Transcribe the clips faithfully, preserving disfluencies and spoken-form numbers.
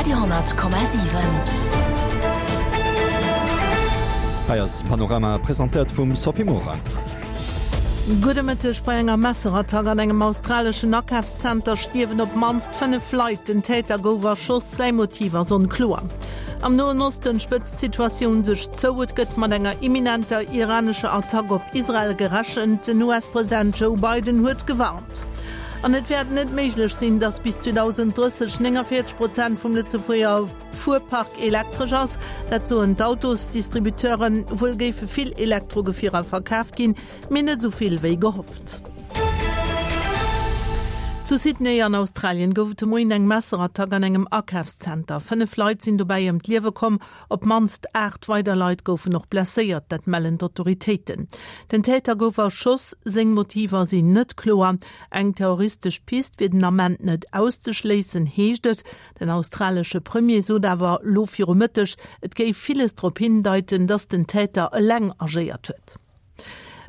Radio honnert Komma siwen. Hei ass Panorama, presentéiert vum Sophie Morang. Gudde Mëtteg, Bei enger Messerattack an engem australeschen Akafszenter stierwen op d'mannst fënnef Leit. Den Täter gouf erschoss, säi Motiv ass onkloer. Am Noen Osten spëtzt d'Situatioun sech zou, et gëtt mat enger imminenter iranescher Attack op Israel gerechent. Den U S-President Joe Biden huet gewarnt. An et wäert net méiglech sinn, datt bis zweedausenddrësseg nénganvéierzeg Prozent vum Lëtzebuerger Fuerpark elektresch ass. Dat soen d'Autosdistributeuren. Wuel géife vill Elektrogefierer verkaaft ginn, mee net esou vill wéi gehofft. Zu Sydney an Australien gouf et de Moien eng Messerattack an engem Akafszenter. Fënnef Leit sinn dobäi ëm d'Liewe komm, op d'mannst aacht weider Leit goufen och blesséiert, dat mellen d'Autoritéiten. Den Täter gouf erschoss, seng Motiver sinn net kloer. Eng terroristesch Pist wier den Ament net auszeschléissen, heescht et. Den australesche Premier sot awer lo viru Mëtteg, et géif villes drop hindeiten, datt den Täter eleng agéiert huet.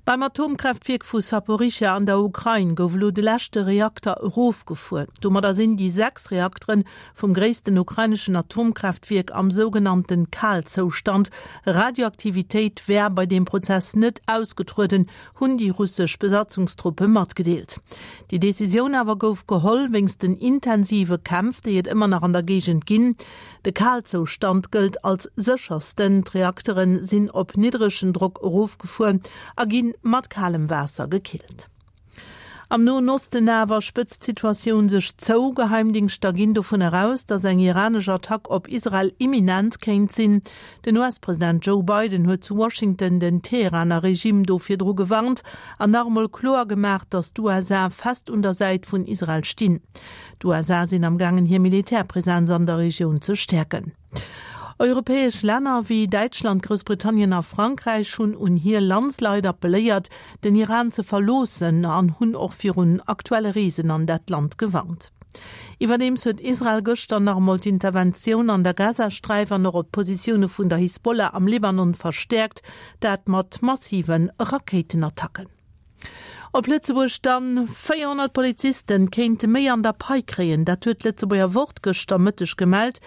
Beim Atomkraaftwierk vu Saporischschja an der Ukrain gouf elo de leschte Reakter erofgefuer. Domadder sinn déi sechs Reaktere vum gréissten ukraineschen Atomkraaftwierk am sougenannte Kalzoustand. Radioaktivitéit wär bei deem Prozess net ausgetrueden, hunn déi russesch Besatzungstruppe matgedeelt. Déi Decisioun awer gouf geholl wéinst den intensive Kämpf, déi et ëmmer nach an der Géigend ginn. De Kalzoustand gëllt als séchersten. D'Reaktere sinn op niddregen Drock erofgefuer a gi mat kalem Waasser gekillt. Am Noen Osten awer spëtzt d'Situatioun sech zou. Geheimdingschter ginn dovun eraus, datt eng iranesch Attack op Israel imminent kéint sinn. Den U S-President Joe Biden huet zu Washington den Teheraner Regime do virdru gewarnt an nach emol kloer gemaach, datt d'U S A fest un der Säit vun Israel stinn. D'U S A sinn am gaangen hir Militärpresenz an der Regioun ze stäerken. Europäesch Länner wéi Däitschland, Groussbritannien a Frankräich hunn un hir Landsleit appelléiert, den Iran ze verloossen an hunn och virun aktuelle Reesen an dat Land gewarnt. Iwwerdeems huet Israel gëschter nach emol d'Interventioun an der Gazasträif an och op d'Positioune vun der Hisbollah am Libanon verstäerkt, dat mat massive Rakéitenattacken. Op Lëtzebuerg dann, véierhonnert Polizisten kéinte méi an der Pai kréien, dat huet d'Lëtzebuerger Wort gëschter Mëtteg gemellt.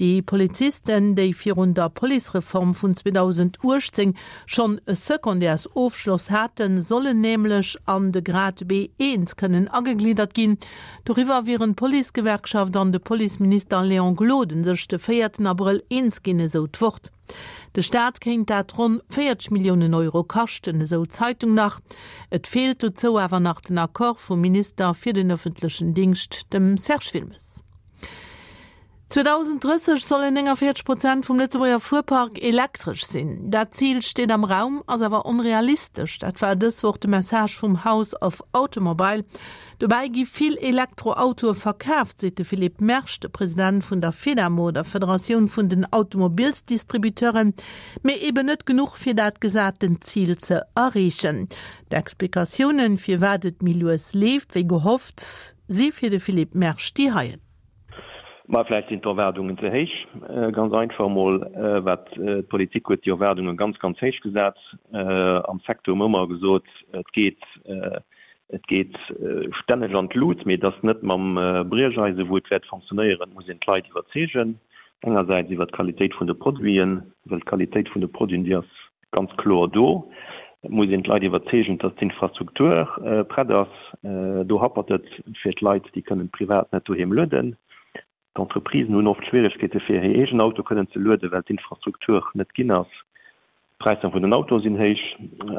Déi Polizisten, déi virun der Policereform vun zweedausenduechtzéng schonn e Secondaires-Ofschloss haten, sollen nämlech an de Grad B eent kënnen agegliddert ginn. Doriwwer wieren d'Policegewerkschaft an de Policeminister Léon Gloden sech de véierten Abrëll eens ginn, esou d'Wort. De Staat kéint dat ronn véierzeg Milliounen Euro kaschten, esou d'Zeitung nach. Et feelt dozou awer nach den Accord vum Minister fir den ëffentlechen Dingscht, dem Serge Wilmes. zweedausenddrësseg sollen nénganvéierzeg Prozent vum Lëtzebuerger Fuerpark elektresch sinn. Dat Zil steet am Raum, ass awer onrealistesch. Dat war dës Woch de Message vum House of Automobile. Dobäi gi vill Elektroautoe verkaaft, seet de Philippe Mersch, de President vun der Fedamo, der Federatioun vun den Automobilsdistributeuren, mee eben net genuch fir dat gesaten Zil ze erreechen. D'Explikatiounen, firwat et méi lues leeft wéi gehofft, si fir de Philippe Mersch déi heien. Ma vläicht sinn d'Erwaardungen ze héich. Ganz einfach emol, wat d'Politik huet déi Erwaardunge ganz, ganz héich gesat. Am Secteur hu mer ëmmer gesot, et geet, et geet stänneg an d'Lut, mee et ass net mam Briecheise wou et wäert fonctionnéieren. Et muss een d'Leit iwwerzeegen, engersäits iwwer d'Qualitéit vun de Produiten, well d'Qualitéit vun de Produiten, déi ass ganz kloer do. Et muss een d'Leit iwwerzeegen, dass d'Infrastruktur prett ass. Do happert et fir d'Leit, déi kënnen privat net doheem lueden. D'Entreprisen hunn oft Schwieregkeete fir hir eegen Auto kënnen ze lueden, well d'Infrastruktur net ginn ass. D'Präisser vun den Autoe sinn héich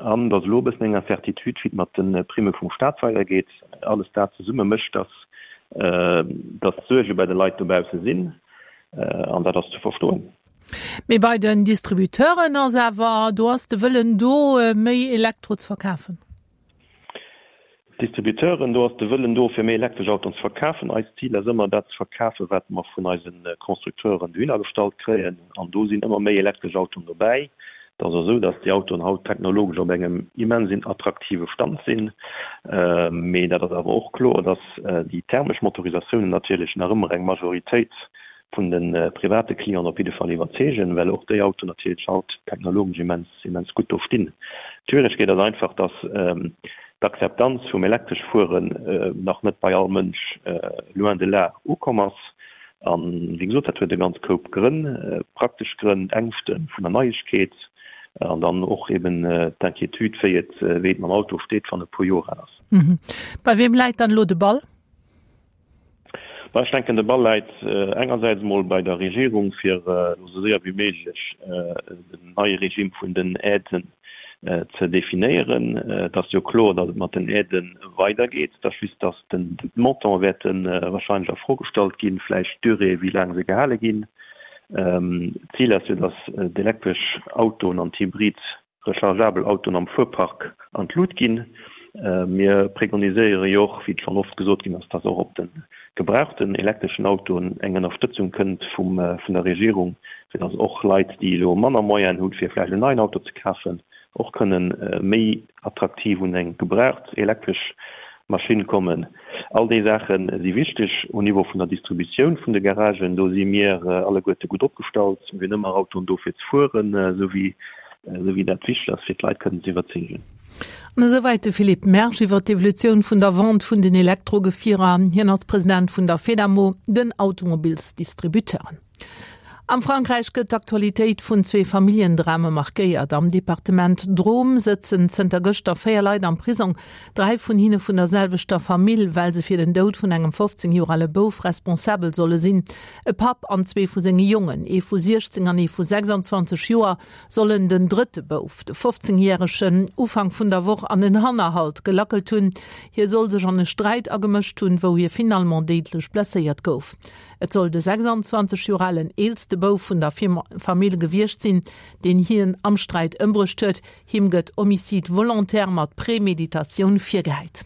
an et ass elo e bëssen eng Incertitude, wéi et mat de Primme vum Staat weidergeet. Alles dat zesumme mécht, dass dass Suerge bei de Leit dobausse sinn an dat ass ze verstoen. Mee bei den Distributeuren ass awer, do ass de Wëllen do, méi Elektro ze verkafen. D'Distributeuren, do ass de Wëllen do, fir méi elektresch Autoen ze verkafen. Eist Zil ass ëmmer, dat ze verkafen, wat mer vun eise Constructeuren dohinner gestallt kréien. An do sinn ëmmer méi elektresch Autoen dobäi. Et ass och esou, datt déi Autoen haut technologesch op engem immens attraktive Stand sinn. Mee dat ass awer och kloer, datt déi thermesch Motorisatiounen natierlech nach ëmmer eng Majoritéit vun de private Clienten op jidde Fall iwwerzeegen, well och déi Autoen natierlech haut technologesch immens, immens gutt do stinn. D'Schwieregkeet ass einfach, dass d'Akzeptanz vum elektresch Fueren nach net bei all Mënsch, loin de là, ukomm ass. An, wéi gesot, dat huet e ganz Koup Grënn, praktesch Grënn, Ängschte vun der Neiegkeet an dann och eben d'Inquiétude, wéi et, wéi et mam Auto steet, wann e puer Joer al ass. Bei weem läit dann elo de Ball? Bah, ech denken, de Ball läit engersäits emol bei der Regierung, fir elo esou séier wéi méiglech den neie Regime vun den Aiden ze definéieren. Et ass jo kloer, datt et mat den Aidë weidergeet. Et ass just, datt d'Montante wäerte wahrscheinlech a Fro gestallt ginn, vläicht d'Durée, wéi laang se gehale ginn. D'Zil ass jo, datt d'elektresch Autoen an d'hybrid rechargeabel Autoen am Fuerpark an d'Lut ginn. Mir preconiséiere jo och, wéi et schonn oft gesot ginn ass, datt och op de gebrauchten elektreschen Autoen eng Ënnerstëtzung kënnt vum vun der Regierung, fir datt och Leit, déi elo manner Moyenen hunn, fir vläicht en neien Auto ze kafen, och kënnen méi attraktiv un eng gebraucht elektresch Maschinn kommen. All déi Saache si wichteg. Um Niveau vun der Distributioun vun de Garagen, do si mir alleguerte gutt opgestallt. Mir hunn ëmmer Autoen do fir ze fueren, esou wéi esou wéi dat wichteg ass, fir d'Leit kënnen ze iwwerzeegen. An esouwäit de Philippe Mersch iwwer d'Evolutioun vun der Vente vun den Elektrogefierer. Hien ass President vun der Fedamo, den Automobilsdistributeuren. Am Frankräich gëtt d'Aktualitéit vun zwee Familljendrame markéiert. Am Departement Drôme sëtzen zënter gëschter véier Leit am Prisong, dräi vun hinne vun der selwechter Famill, well se fir den Doud vun engem fofzéng Joer ale Bouf responsabel solle sinn. E Papp an zwee vu senge Jongen, ee vu siechzéng an ee vu sechsandzwanzeg Joer, sollen den drëtte Bouf, de fofzéngjäregen, Ufank vun der Woch an en Hannerhalt gelackelt hunn. Hie soll sech an e Sträit agemëscht hunn, wou hie finalement déidlech blesséiert gouf. Et soll de sechsandzwanzeg Joer alen eelste Bouf vun der Famill gewiescht sinn, deen hien am Sträit ëmbruecht huet. Him gëtt Homicide volontaire mat Préméditatioun virgehäit.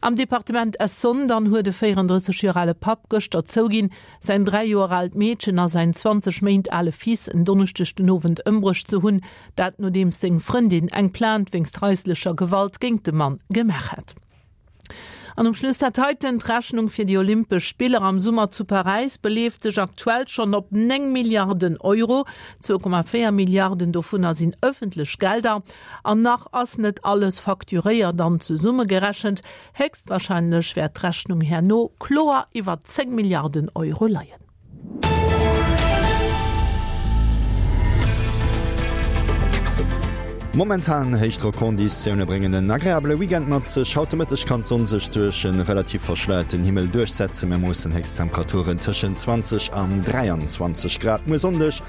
Am Departement Essonne dann huet e véierandrësseg Joer ale Papp gëschter zouginn, säin dräi Joer aalt Meedchen a säin zwanzeg Méint ale Fils en Donneschdeg den Owend ëmbruecht ze hunn. Dat nodeems seng Frëndin eng Plainte wéinst haislecher Gewalt géint de Mann gemaach hat. An um Schluss dat heiten, D'Rechnung fir déi Olympesch Spiller am Summer zu Paräis beleeft sech aktuell schonn op néng Milliarden Euro. Zwou Komma véier Milliarden dovunner sinn ëffentlech Gelder. An nach ass net alles facturéiert an zesummegerechent. Héchstwarscheinlech wäert d'Rechnung herno kloer iwwer zéng Milliarden Euro leien. Momentan héich Drockonditioune bréngen en agreabele Weekend mat sech. Haut de Mëtteg kann d'Sonn sech duerch e relativ verschleierten Himmel duerchsetzen. Mir moossen Héchsttemperaturen tëschent zwanzeg an dräianzwanzeg Grad. Muer Sonndeg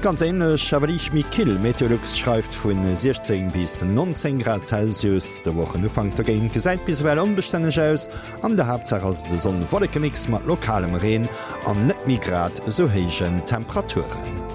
ganz änlech, awer liicht méi kill. Meteolux schreift vu siechzéng bis nonzéng Grad Celsius. De Wochenufank dogéint gesäit bis ewell onbestänneg aus. An der Haaptsaach ass et e Sonn-Wolleke-Mix mat lokalem Reen an net méi grad esou héijen Temperaturen.